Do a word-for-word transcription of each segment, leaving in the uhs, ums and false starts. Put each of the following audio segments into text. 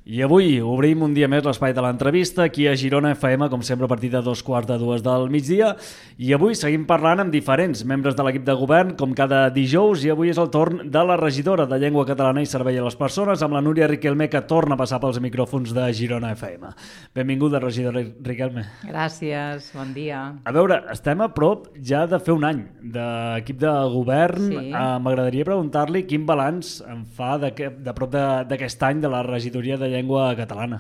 I avui obrim un dia més l'espai de l'entrevista aquí a Girona F M, com sempre a partir de dos quarts de dues del migdia. I avui seguim parlant amb diferents membres de l'equip de govern, com cada dijous, i avui és el torn de la regidora de Llengua Catalana i Servei a les Persones, amb la Núria Riquelme, que torna a passar pels micròfons de Girona F M. Benvinguda, regidora Riquelme. Gràcies, bon dia. A veure, estem a prop ja de fer un any d'equip de govern. Sí. Uh, M'agradaria preguntar-li quin balanç en fa de, de prop d'aquest any de la regidoria de Llengua Catalana.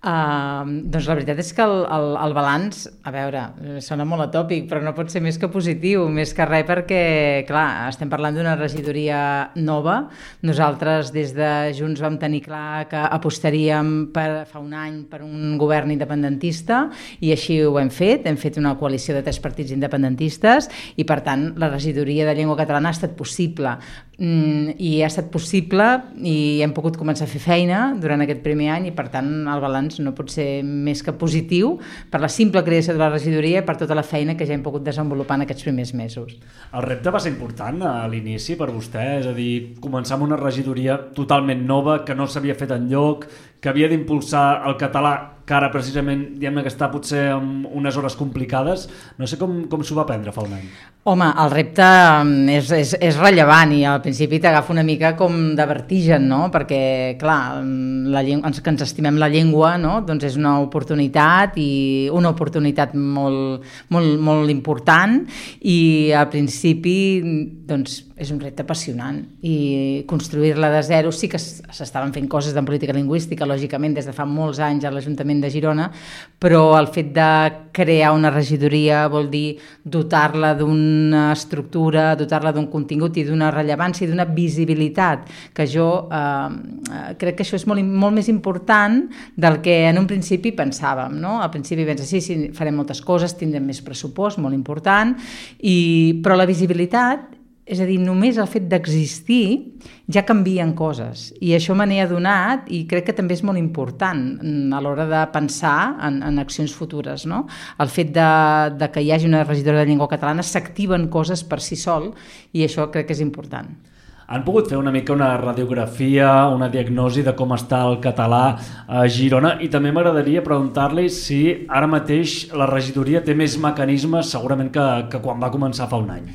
Uh, doncs la veritat és que el, el, el balanç, a veure, sona molt atòpic, però no pot ser més que positiu, més que res perquè, clar, estem parlant d'una regidoria nova. Nosaltres des de Junts vam tenir clar que apostaríem per, fa un any per un govern independentista i així ho hem fet, hem fet una coalició de tres partits independentistes i per tant la regidoria de Llengua Catalana ha estat possible. Mm, i ha estat possible i hem pogut començar a fer feina durant aquest primer any i per tant el balanç no pot ser més que positiu per la simple creació de la regidoria i per tota la feina que ja hem pogut desenvolupar en aquests primers mesos. El repte va ser important a l'inici per vostè, és a dir, començar amb una regidoria totalment nova que no s'havia fet enlloc, que havia d'impulsar el català, que ara precisament diguem-ne que està potser en unes hores complicades. No sé com, com s'ho va prendre fa un any. Home, el repte és, és, és rellevant i al principi t'agafa una mica com de vertigen, no? Perquè, clar, la llengua, que ens estimem la llengua, no? Doncs és una oportunitat i una oportunitat molt, molt, molt important i al principi doncs, és un repte apassionant i construir-la de zero. Sí que s'estaven fent coses de política lingüística, lògicament, des de fa molts anys a l'Ajuntament de Girona, però el fet de crear una regidoria vol dir dotar-la d'una estructura, dotar-la d'un contingut i d'una rellevància i d'una visibilitat, que jo eh, crec que això és molt, molt més important del que en un principi pensàvem, no? Al principi penses, sí, sí, farem moltes coses, tindrem més pressupost, molt important, i, però la visibilitat, és a dir, només el fet d'existir ja canvien coses i això me n'he adonat i crec que també és molt important a l'hora de pensar en, en accions futures, no? El fet de, de que hi hagi una regidora de llengua catalana s'activen coses per si sol i això crec que és important. Han pogut fer una mica una radiografia, una diagnosi de com està el català a Girona i també m'agradaria preguntar-li si ara mateix la regidoria té més mecanismes segurament que, que quan va començar fa un any.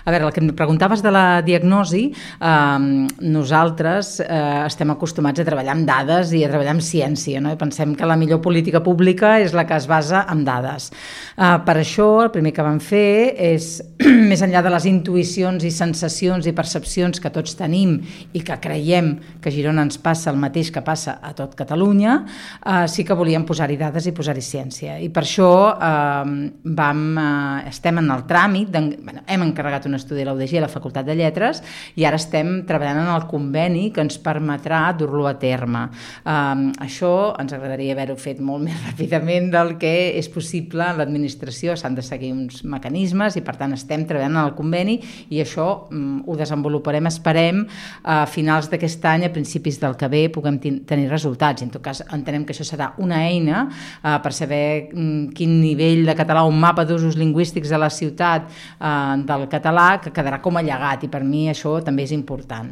A veure, el que em preguntaves de la diagnosi, eh, nosaltres eh, estem acostumats a treballar amb dades i a treballar amb ciència, no? I pensem que la millor política pública és la que es basa en dades. Eh, per això el primer que vam fer és, més enllà de les intuïcions i sensacions i percepcions que tots tenim i que creiem que a Girona ens passa el mateix que passa a tot Catalunya, eh, sí que volíem posar-hi dades i posar-hi ciència. I per això eh, vam, eh, estem en el tràmit, bueno, hem encarregat un estudi a la U D G a la Facultat de Lletres i ara estem treballant en el conveni que ens permetrà dur-lo a terme. Eh, això ens agradaria haver-ho fet molt més ràpidament del que és possible en l'administració, s'han de seguir uns mecanismes i per tant estem treballant en el conveni i això mm, ho desenvoluparem, esperem, a finals d'aquest any, a principis del que ve, puguem tenir resultats. En tot cas, entenem que això serà una eina eh, per saber mm, quin nivell de català, un mapa d'usos lingüístics de la ciutat eh, del català, que quedarà com a llegat i per mi això també és important.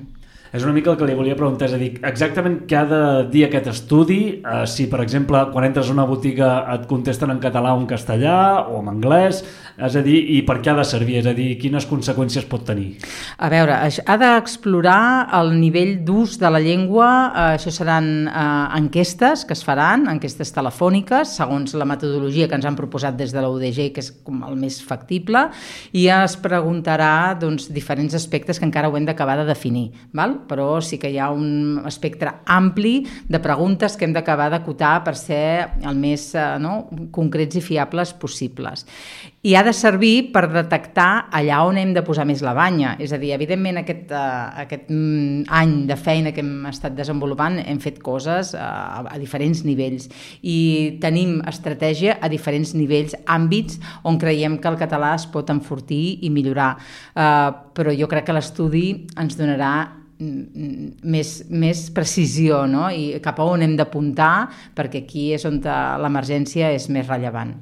És una mica el que li volia preguntar, és a dir, exactament què ha de dir aquest estudi, eh, si per exemple quan entres a una botiga et contesten en català o en castellà o en anglès, és a dir, i per què ha de servir, és a dir, quines conseqüències pot tenir? A veure, ha d'explorar el nivell d'ús de la llengua, eh, això seran eh, enquestes que es faran, enquestes telefòniques, segons la metodologia que ens han proposat des de la U D G, que és com el més factible, i es preguntarà doncs, diferents aspectes que encara ho hem d'acabar de definir, val? Però sí que hi ha un espectre ampli de preguntes que hem d'acabar d'acotar per ser el més eh, no, concrets i fiables possibles. I ha de servir per detectar allà on hem de posar més la banya. És a dir, evidentment aquest, uh, aquest mm, any de feina que hem estat desenvolupant hem fet coses uh, a diferents nivells i tenim estratègia a diferents nivells, àmbits on creiem que el català es pot enfortir i millorar. Uh, però jo crec que l'estudi ens donarà més, més precisió, no? I cap a on hem d'apuntar, perquè aquí és on l'emergència és més rellevant.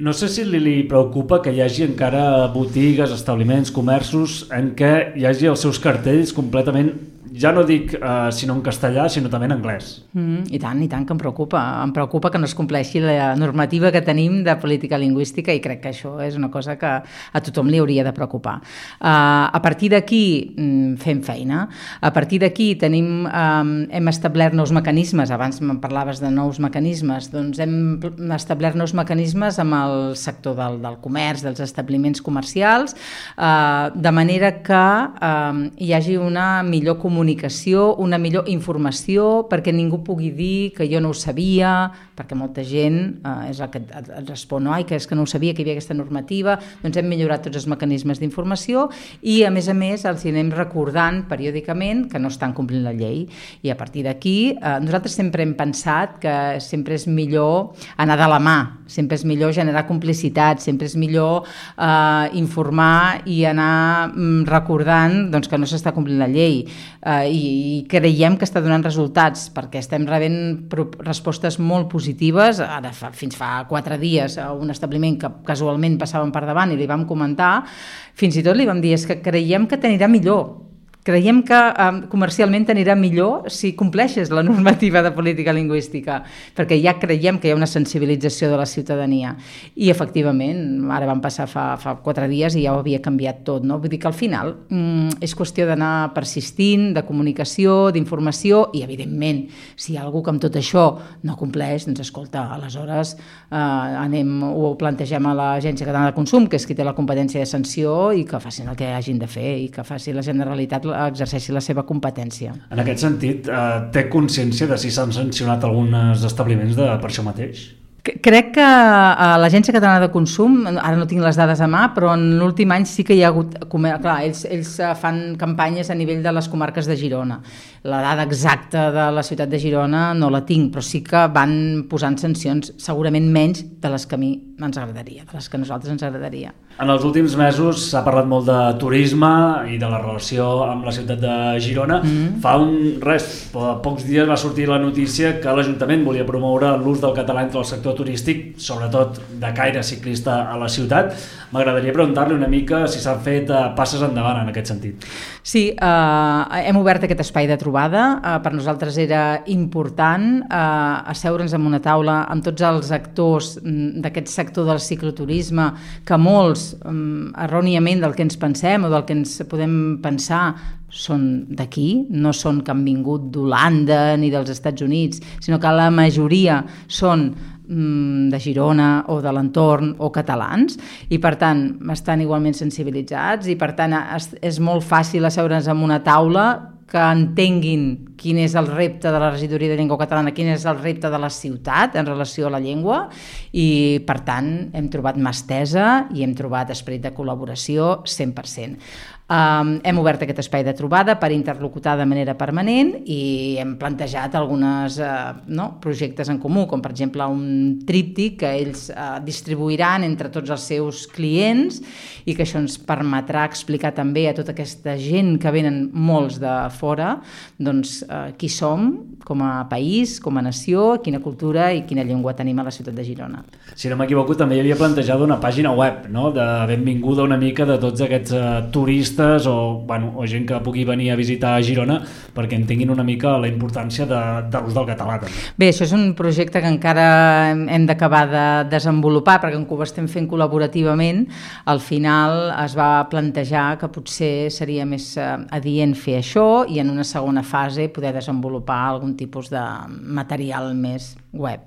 No sé si li, li preocupa que hi hagi encara botigues, establiments, comerços en què hi hagi els seus cartells completament, ja no dic eh, sinó en castellà, sinó també en anglès. Mm, I tant, i tant, que em preocupa. Em preocupa que no es compleixi la normativa que tenim de política lingüística i crec que això és una cosa que a tothom li hauria de preocupar. Uh, a partir d'aquí mm, fem feina. A partir d'aquí tenim, um, hem establert nous mecanismes, abans me'n parlaves de nous mecanismes, doncs hem establert nous mecanismes amb el sector del, del comerç, dels establiments comercials, uh, de manera que um, hi hagi una millor comunicació, una millor informació, perquè ningú pugui dir que jo no ho sabia, perquè molta gent eh, és el que et, et respon, no? Ai, que és que no ho sabia, que hi havia aquesta normativa. Doncs hem millorat tots els mecanismes d'informació i, a més a més, els anem recordant periòdicament que no estan complint la llei. I a partir d'aquí, eh, nosaltres sempre hem pensat que sempre és millor anar de la mà, sempre és millor generar complicitat, sempre és millor eh, informar i anar mm, recordant doncs, que no s'està complint la llei. Uh, i, i creiem que està donant resultats perquè estem rebent respostes molt positives. Ara fa, fins fa quatre dies a un establiment que casualment passàvem per davant i li vam comentar, fins i tot li vam dir és que creiem que t'anirà millor. Creiem que um, comercialment t'anirà millor si compleixes la normativa de política lingüística, perquè ja creiem que hi ha una sensibilització de la ciutadania. I, efectivament, ara van passar fa, fa quatre dies i ja ho havia canviat tot, no? Vull dir que al final um, és qüestió d'anar persistint, de comunicació, d'informació, i, evidentment, si hi ha algú que amb tot això no compleix, doncs, escolta, aleshores uh, anem, ho plantegem a l'Agència Catalana de Consum, que és qui té la competència de sanció, i que facin el que hagin de fer i que faci la Generalitat exerceixi la seva competència. En aquest sentit, eh, té consciència de si s'han sancionat alguns establiments de, per això mateix? Crec que a l'Agència Catalana de Consum, ara no tinc les dades a mà, però en l'últim any sí que hi ha hagut... Clar, ells, ells fan campanyes a nivell de les comarques de Girona. La dada exacta de la ciutat de Girona no la tinc, però sí que van posant sancions, segurament menys de les que a mi ens agradaria, de les que a nosaltres ens agradaria. En els últims mesos s'ha parlat molt de turisme i de la relació amb la ciutat de Girona. Mm-hmm. Fa un res, pocs dies va sortir la notícia que l'Ajuntament volia promoure l'ús del català entre el sector turístic, sobretot de caire ciclista a la ciutat. M'agradaria preguntar-li una mica si s'han fet uh, passes endavant en aquest sentit. Sí, eh, hem obert aquest espai de trobada. Eh, per nosaltres era important eh, asseure'ns en una taula amb tots els actors d'aquest sector del cicloturisme, que molts, eh, erròniament del que ens pensem o del que ens podem pensar, són d'aquí, no són que han vingut d'Holanda ni dels Estats Units, sinó que la majoria són de Girona o de l'entorn o catalans, i per tant estan igualment sensibilitzats, i per tant és molt fàcil asseure'ns en una taula, que entenguin quin és el repte de la regidoria de llengua catalana, quin és el repte de la ciutat en relació a la llengua, i per tant hem trobat mà estesa i hem trobat esperit de col·laboració cent per cent. Um, hem obert aquest espai de trobada per interlocutar de manera permanent i hem plantejat alguns uh, no, projectes en comú, com per exemple un tríptic que ells uh, distribuiran entre tots els seus clients, i que això ens permetrà explicar també a tota aquesta gent que venen molts de fora, doncs uh, qui som com a país, com a nació, quina cultura i quina llengua tenim a la ciutat de Girona. Si no m'equivoco, també hi havia plantejat una pàgina web, no?, de benvinguda una mica de tots aquests uh, turistes o, bueno, o gent que pugui venir a visitar a Girona perquè entenguin una mica la importància de, de l'ús del català. També. Bé, això és un projecte que encara hem d'acabar de desenvolupar, perquè com que ho estem fent col·laborativament, al final es va plantejar que potser seria més adient fer això i en una segona fase poder desenvolupar algun tipus de material més web.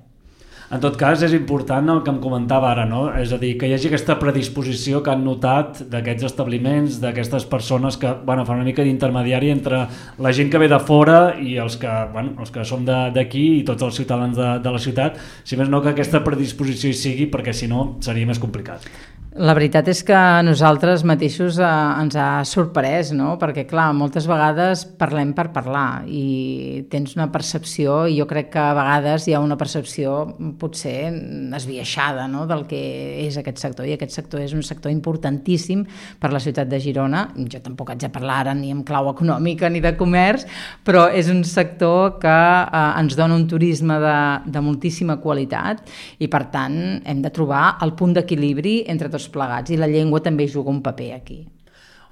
En tot cas, és important el que em comentava ara, no? És a dir, que hi hagi aquesta predisposició que han notat d'aquests establiments, d'aquestes persones que, bueno, fan una mica d'intermediari entre la gent que ve de fora i els que, bueno, els que som d'aquí i tots els ciutadans de, de la ciutat, si més no que aquesta predisposició hi sigui, perquè si no seria més complicat. La veritat és que a nosaltres mateixos eh, ens ha sorprès, no? Perquè, clar, moltes vegades parlem per parlar i tens una percepció, i jo crec que a vegades hi ha una percepció potser esbiaixada, no?, del que és aquest sector, i aquest sector és un sector importantíssim per la ciutat de Girona. Jo tampoc haig de parlar ara ni en clau econòmica ni de comerç, però és un sector que eh, ens dona un turisme de, de moltíssima qualitat, i per tant hem de trobar el punt d'equilibri entre tots plegats, i la llengua també juga un paper aquí.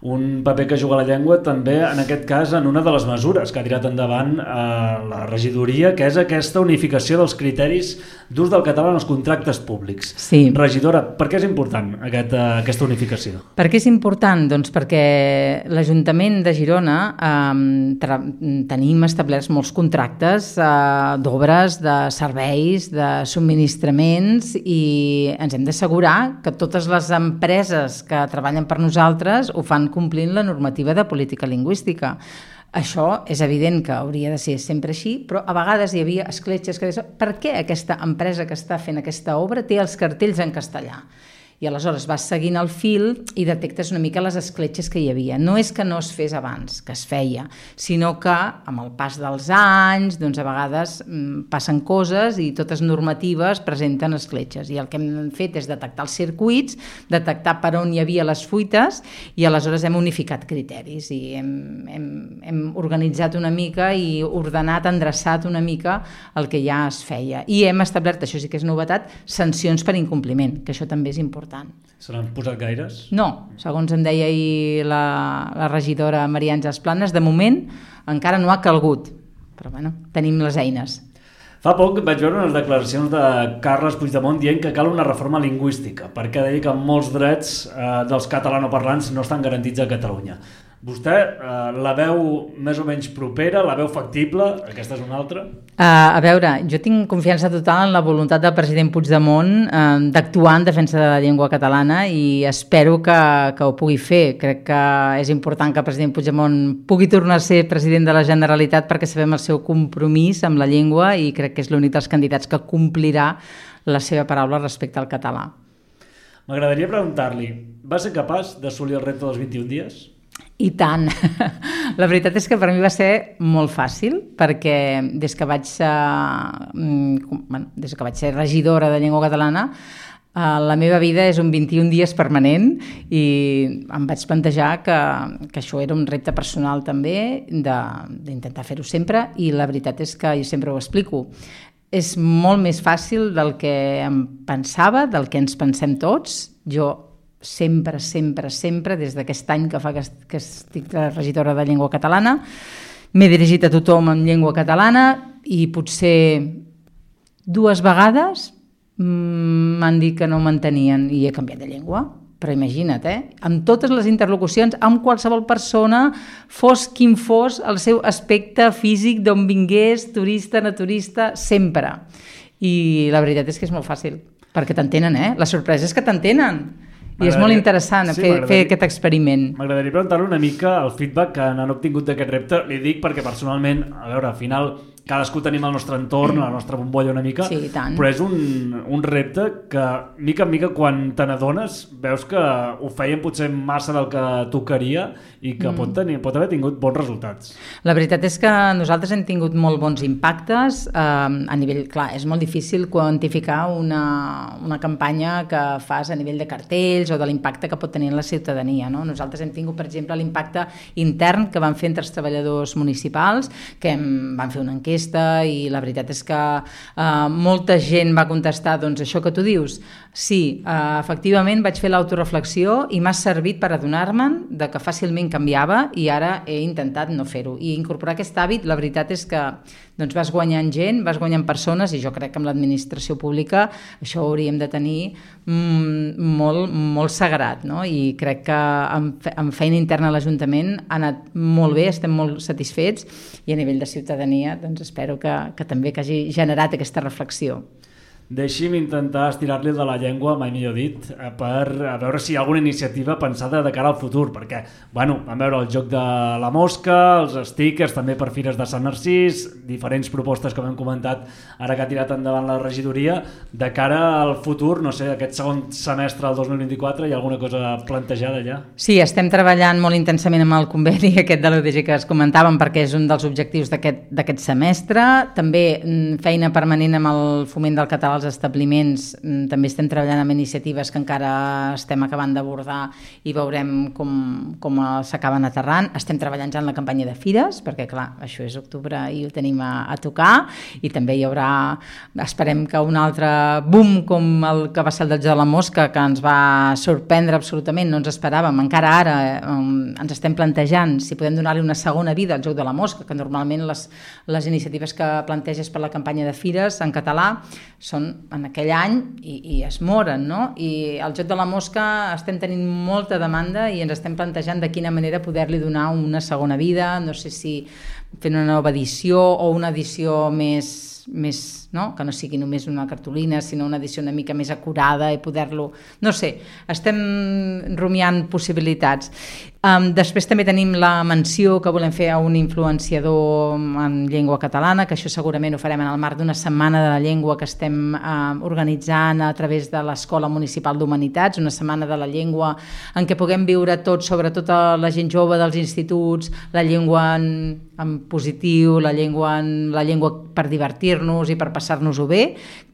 un paper que juga la llengua també, en aquest cas, en una de les mesures que ha tirat endavant eh, la regidoria, que és aquesta unificació dels criteris d'ús del català en els contractes públics. Sí. Regidora, per què és important aquest, eh, aquesta unificació? Per què és important? Doncs perquè l'Ajuntament de Girona eh, tenim establerts molts contractes eh, d'obres, de serveis, de subministraments, i ens hem d'assegurar que totes les empreses que treballen per nosaltres ho fan complint la normativa de política lingüística. Això és evident que hauria de ser sempre així, però a vegades hi havia escletxes que deien per què aquesta empresa que està fent aquesta obra té els cartells en castellà? I aleshores vas seguint el fil i detectes una mica les escletxes que hi havia. No és que no es fes abans, que es feia, sinó que amb el pas dels anys, doncs a vegades mm, passen coses i totes normatives presenten escletxes. I el que hem fet és detectar els circuits, detectar per on hi havia les fuites, i aleshores hem unificat criteris i hem, hem, hem organitzat una mica i ordenat, endreçat una mica el que ja es feia. I hem establert, això sí que és novetat, sancions per incompliment, que això també és important. Se n'han posat gaires? No, segons em deia ahir la, la regidora Maria Àngels Planes, de moment encara no ha calgut, però bueno, tenim les eines. Fa poc vaig veure unes declaracions de Carles Puigdemont dient que cal una reforma lingüística, perquè deia que molts drets eh, dels catalanoparlants no estan garantits a Catalunya. Vostè eh, la veu més o menys propera, la veu factible? Aquesta és una altra? Uh, a veure, jo tinc confiança total en la voluntat del president Puigdemont uh, d'actuar en defensa de la llengua catalana i espero que, que ho pugui fer. Crec que és important que el president Puigdemont pugui tornar a ser president de la Generalitat perquè sabem el seu compromís amb la llengua i crec que és l'únic dels candidats que complirà la seva paraula respecte al català. M'agradaria preguntar-li, va ser capaç d'assolir el repte dels vint-i-un dies? I tant. La veritat és que per mi va ser molt fàcil perquè des que vaig ser, bueno, des que vaig ser regidora de llengua catalana la meva vida és un vint-i-un dies permanent i em vaig plantejar que, que això era un repte personal també d'intentar fer-ho sempre i la veritat és que jo sempre ho explico. És molt més fàcil del que em pensava, del que ens pensem tots. Jo sempre, sempre, sempre, des d'aquest any que fa que, que estic regidora de llengua catalana, m'he dirigit a tothom en llengua catalana i potser dues vegades m'han dit que no m'entenien i he canviat de llengua. Però imagina't, eh? Amb totes les interlocucions, amb qualsevol persona, fos quin fos el seu aspecte físic, d'on vingués, turista, naturista, sempre. I la veritat és que és molt fàcil, perquè t'entenen, eh? La sorpresa és que t'entenen. I és molt interessant sí, fer, fer aquest experiment. M'agradaria preguntar-li una mica el feedback que n'han obtingut d'aquest repte. Li dic perquè personalment, a veure, al final cadascú tenim el nostre entorn, la nostra bombolla una mica, sí, tant. Però és un, un repte que, mica en mica, quan te n'adones, veus que ho feien potser massa del que tocaria i que mm. pot, tenir, pot haver tingut bons resultats. La veritat és que nosaltres hem tingut molt bons impactes. Eh, a nivell, clar, és molt difícil quantificar una, una campanya que fas a nivell de cartells o de l'impacte que pot tenir en la ciutadania. No? Nosaltres hem tingut, per exemple, l'impacte intern que van fer entre els treballadors municipals, que hem, van fer una enquesta i la veritat és que uh, molta gent va contestar doncs això que tu dius. Sí, uh, efectivament vaig fer l'autoreflexió i m'ha servit per adonar-me'n de que fàcilment canviava i ara he intentat no fer-ho. I incorporar aquest hàbit, la veritat és que doncs, vas guanyant gent, vas guanyant persones i jo crec que amb l'administració pública això ho hauríem de tenir mm, molt, molt sagrat, no? I crec que amb, amb feina interna a l'Ajuntament ha anat molt bé, estem molt satisfets i a nivell de ciutadania doncs espero que, que també que hagi generat aquesta reflexió. Deixi'm intentar estirar-li de la llengua, mai millor dit, per a veure si hi ha alguna iniciativa pensada de cara al futur, perquè, bueno, vam veure el joc de la mosca, els stickers també per fires de Sant Narcís, diferents propostes que hem comentat ara que ha tirat endavant la regidoria. De cara al futur, no sé, aquest segon semestre del dos mil vint-i-quatre, hi ha alguna cosa plantejada ja? Sí, estem treballant molt intensament amb el conveni aquest de l'U D G que es comentàvem perquè és un dels objectius d'aquest semestre. També feina permanent amb el foment del català als establiments també estem treballant amb iniciatives que encara estem acabant d'abordar i veurem com, com s'acaben aterrant. Estem treballant ja en la campanya de fires, perquè clar, això és octubre i ho tenim a, a tocar, i també hi haurà, esperem que un altre boom com el que va ser el del Joc de la Mosca, que ens va sorprendre absolutament, no ens esperàvem, encara ara eh, ens estem plantejant si podem donar-li una segona vida al Joc de la Mosca, que normalment les, les iniciatives que planteges per la campanya de fires en català són en aquell any i, i es moren, no? I al Joc de la Mosca estem tenint molta demanda i ens estem plantejant de quina manera poder-li donar una segona vida, no sé si fent una nova edició o una edició més, més no? Que no sigui només una cartolina, sinó una edició una mica més acurada i poder-lo... No sé, estem rumiant possibilitats. Um, després també tenim la menció que volem fer a un influenciador en llengua catalana, que això segurament ho farem en el marc d'una setmana de la llengua que estem uh, organitzant a través de l'Escola Municipal d'Humanitats, una setmana de la llengua en què puguem viure tots, sobretot a la gent jove dels instituts, la llengua en, en positiu, la llengua, en, la llengua per divertir-nos i per passar-nos-ho bé.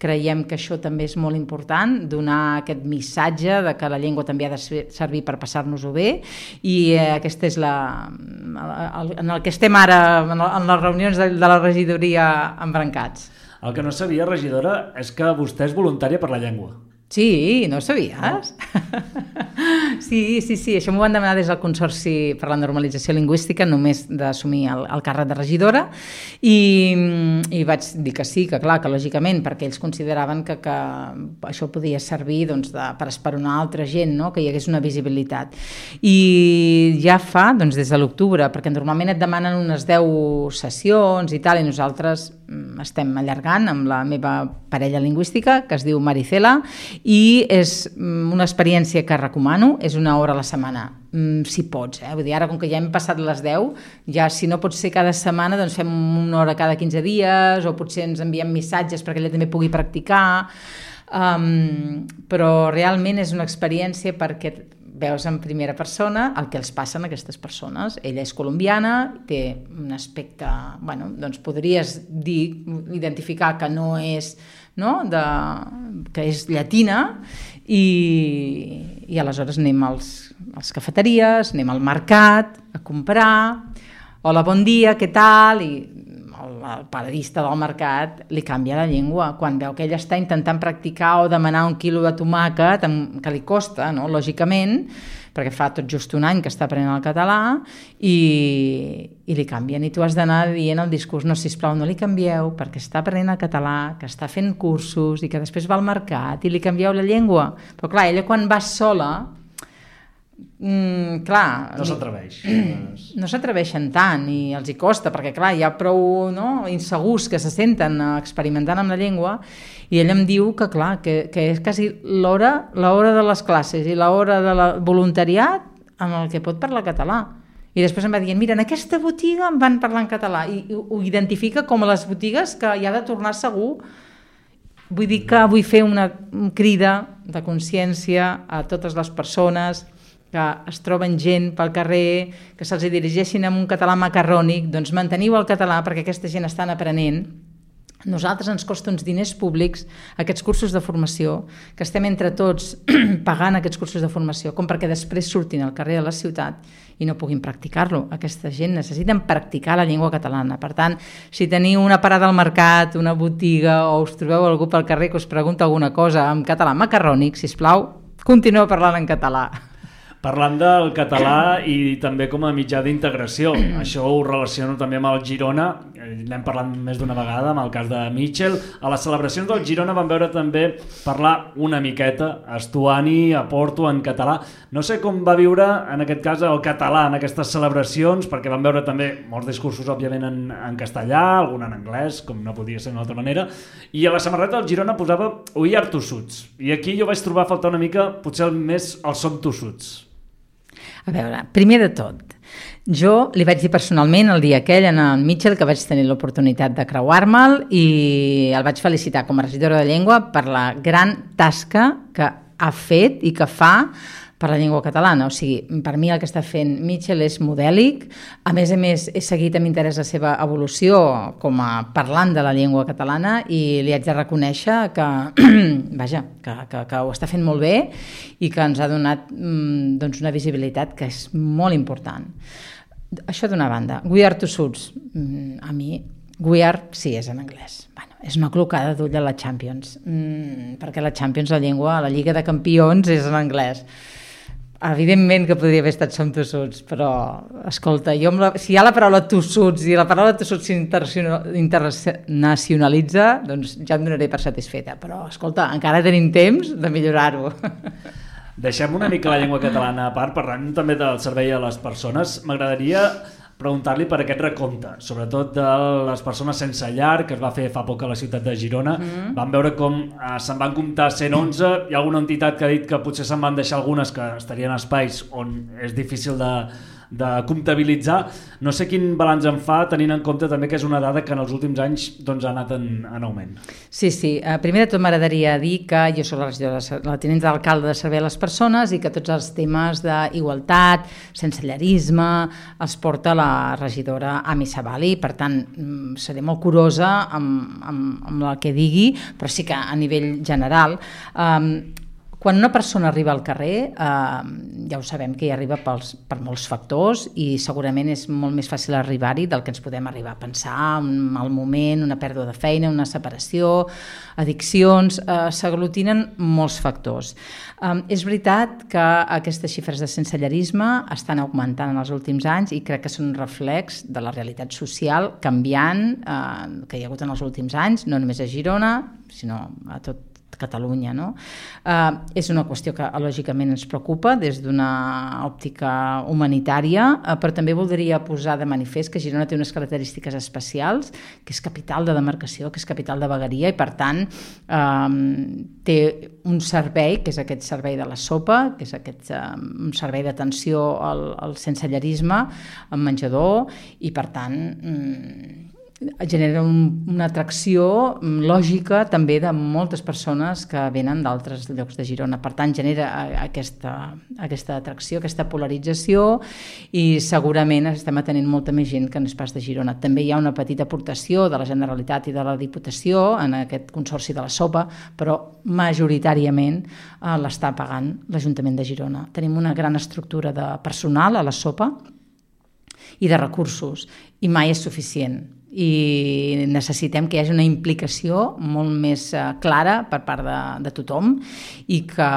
Creiem que això també és molt important, donar aquest missatge de que la llengua també ha de servir per passar-nos-ho bé, i eh, aquesta és la, el, en el que estem ara, en les reunions de, de la regidoria embrancats. El que no sabia, regidora, és que vostè és voluntària per la llengua. Sí, no ho sabies? No. Sí, sí, sí, això m'ho van demanar des del Consorci per la Normalització Lingüística, només d'assumir el, el càrrec de regidora, i, i vaig dir que sí, que clar, que lògicament, perquè ells consideraven que, que això podia servir doncs, de, per esperonar altra gent, no? Que hi hagués una visibilitat. I ja fa, doncs, des de l'octubre, perquè normalment et demanen unes deu sessions i tal, i nosaltres estem allargant amb la meva parella lingüística, que es diu Maricela, i és una experiència que recomano, és una hora a la setmana, si pots, eh? Vull dir, ara com que ja hem passat les deu, ja si no pot ser cada setmana, doncs fem una hora cada quinze dies, o potser ens enviem missatges perquè ella també pugui practicar, um, però realment és una experiència perquè veus en primera persona el que els passa a aquestes persones. Ella és colombiana, té un aspecte, bueno, doncs podries dir, identificar que no és, no? De, que és llatina, i, i aleshores anem als, als cafeteries, anem al mercat a comprar, hola, bon dia, què tal? I el, el paradista del mercat li canvia la llengua quan veu que ella està intentant practicar o demanar un quilo de tomàquet, que li costa, no? Lògicament, perquè fa tot just un any que està aprenent el català, i, i li canvien, i tu has d'anar dient el discurs, no, sisplau, no li canvieu, perquè està aprenent el català, que està fent cursos i que després va al mercat i li canvieu la llengua. Però clar, ella quan va sola, Mm, clar, no s'atreveix. No s'atreveixen tant i els hi costa, perquè clar, hi ha prou, no, insegurs que se senten experimentant amb la llengua, i ell em diu que clar, que, que és quasi l'hora l'hora de les classes i l'hora de la voluntariat en el que pot parlar català. I després em va dient, mira, en aquesta botiga em van parlar en català, i, i ho identifica com a les botigues que hi ha de tornar segur. Vull dir que vull fer una crida de consciència a totes les persones que es troben gent pel carrer, que se'ls dirigeixin amb un català macarrònic, doncs manteniu el català perquè aquesta gent estan aprenent. Nosaltres ens costa uns diners públics aquests cursos de formació, que estem entre tots pagant aquests cursos de formació, com perquè després surtin al carrer de la ciutat i no puguin practicar-lo. Aquesta gent necessiten practicar la llengua catalana. Per tant, si teniu una parada al mercat, una botiga, o us trobeu algú pel carrer que us pregunta alguna cosa en català macarrònic, sisplau, continueu parlant en català. Parlant del català i també com a mitjà d'integració, això ho relaciono també amb el Girona, n'hem parlat més d'una vegada amb el cas de Mitchell. A les celebracions del Girona vam veure també parlar una miqueta Estuani a Porto en català. No sé com va viure en aquest cas el català en aquestes celebracions, perquè vam veure també molts discursos òbviament en, en castellà, algun en anglès, com no podia ser d'una altra manera, i a la samarreta del Girona posava "We are tossuts", i aquí jo vaig trobar a faltar una mica potser el més el "som tossuts". A veure, primer de tot, jo li vaig dir personalment el dia aquell en el Mitchell que vaig tenir l'oportunitat de creuar-me'l, i el vaig felicitar com a regidora de llengua per la gran tasca que ha fet i que fa per la llengua catalana. O sigui, per mi el que està fent Mitchell és modèlic. A més a més, he seguit amb interès la seva evolució com a parlant de la llengua catalana i li haig de reconèixer que, vaja, que, que, que ho està fent molt bé i que ens ha donat doncs, una visibilitat que és molt important. Això d'una banda. We are two suits. A mi, we are, sí, és en anglès. Bueno, és una clocada d'ull a la Champions, mm, perquè la Champions, la llengua, la Lliga de Campions és en anglès. Evidentment que podria haver estat som tossuts, però, escolta, jo la, si hi ha la paraula tossuts i la paraula tossuts s'internacionalitza, doncs ja em donaré per satisfeta. Però, escolta, encara tenim temps de millorar-ho. Deixem una mica la llengua catalana a part, parlant també del servei a les persones. M'agradaria preguntar-li per aquest recompte, sobretot de les persones sense llar, que es va fer fa poc a la ciutat de Girona. Mm. Vam veure com eh, se'n van comptar cent onze, hi ha alguna entitat que ha dit que potser se'n van deixar algunes que estarien a espais on és difícil de, de comptabilitzar. No sé quin balanç en fa, tenint en compte també que és una dada que en els últims anys doncs, ha anat en, en augment. Sí, sí. Uh, primer de tot m'agradaria dir que jo soc la regidora, la tinent d'alcalde de servei a les persones i que tots els temes d'igualtat, sensellarisme, els porta la regidora Ami Sabali. Per tant, seré molt curosa amb, amb, amb el que digui, però sí que a nivell general... Um, Quan una persona arriba al carrer, eh, ja ho sabem que hi arriba pels, per molts factors i segurament és molt més fàcil arribar-hi del que ens podem arribar a pensar, un mal moment, una pèrdua de feina, una separació, addiccions, eh, s'aglutinen molts factors. Eh, és veritat que aquestes xifres de sensellarisme estan augmentant en els últims anys i crec que són un reflex de la realitat social canviant eh, que hi ha hagut en els últims anys, no només a Girona, sinó a tot Catalunya. No? Uh, és una qüestió que lògicament ens preocupa des d'una òptica humanitària, uh, però també voldria posar de manifest que Girona té unes característiques especials, que és capital de demarcació, que és capital de vegueria i per tant uh, té un servei, que és aquest servei de la sopa, que és aquest uh, un servei d'atenció al, al sensellarisme, al menjador i per tant... Um, genera un, una atracció lògica també de moltes persones que venen d'altres llocs de Girona. Per tant, genera aquesta, aquesta atracció, aquesta polarització i segurament estem atenent molta més gent que no és pas de Girona. També hi ha una petita aportació de la Generalitat i de la Diputació en aquest consorci de la sopa, però majoritàriament eh, l'està pagant l'Ajuntament de Girona. Tenim una gran estructura de personal a la sopa i de recursos i mai és suficient. I necessitem que hi hagi una implicació molt més clara per part de, de tothom i que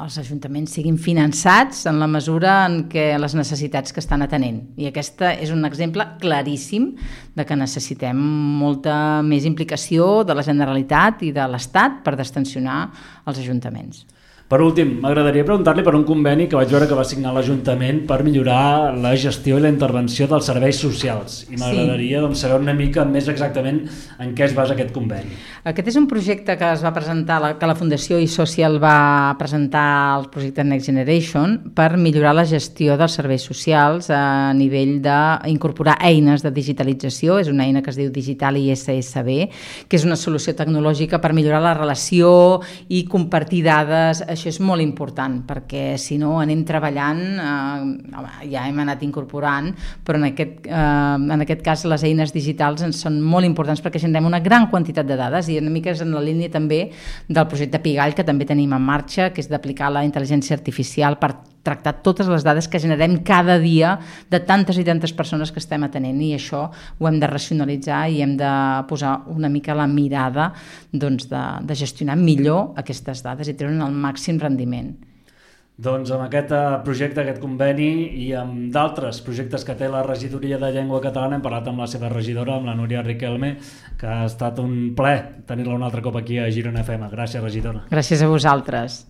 els ajuntaments siguin finançats en la mesura en què les necessitats que estan atenent. I aquesta és un exemple claríssim de que necessitem molta més implicació de la Generalitat i de l'Estat per destensionar els ajuntaments. Per últim, m'agradaria preguntar-li per un conveni que vaig veure que va signar l'Ajuntament per millorar la gestió i la intervenció dels serveis socials. I m'agradaria sí. doncs, saber una mica més exactament en què es basa aquest conveni. Aquest és un projecte que es va presentar, que la Fundació iSocial va presentar al projecte Next Generation per millorar la gestió dels serveis socials a nivell d'incorporar eines de digitalització. És una eina que es diu Digital I S S B, que és una solució tecnològica per millorar la relació i compartir dades. Això és molt important perquè si no anem treballant, eh, ja hem anat incorporant, però en aquest, eh, en aquest cas les eines digitals ens són molt importants perquè generem una gran quantitat de dades i una mica és en la línia també del projecte Pigall que també tenim en marxa, que és d'aplicar la intel·ligència artificial per tractar totes les dades que generem cada dia de tantes i tantes persones que estem atenent i això ho hem de racionalitzar i hem de posar una mica la mirada doncs, de, de gestionar millor aquestes dades i treure el màxim rendiment. Doncs amb aquest projecte, aquest conveni i amb d'altres projectes que té la regidoria de llengua catalana hem parlat amb la seva regidora, amb la Núria Riquelme, que ha estat un plaer tenir-la un altre cop aquí a Girona F M. Gràcies, regidora. Gràcies a vosaltres.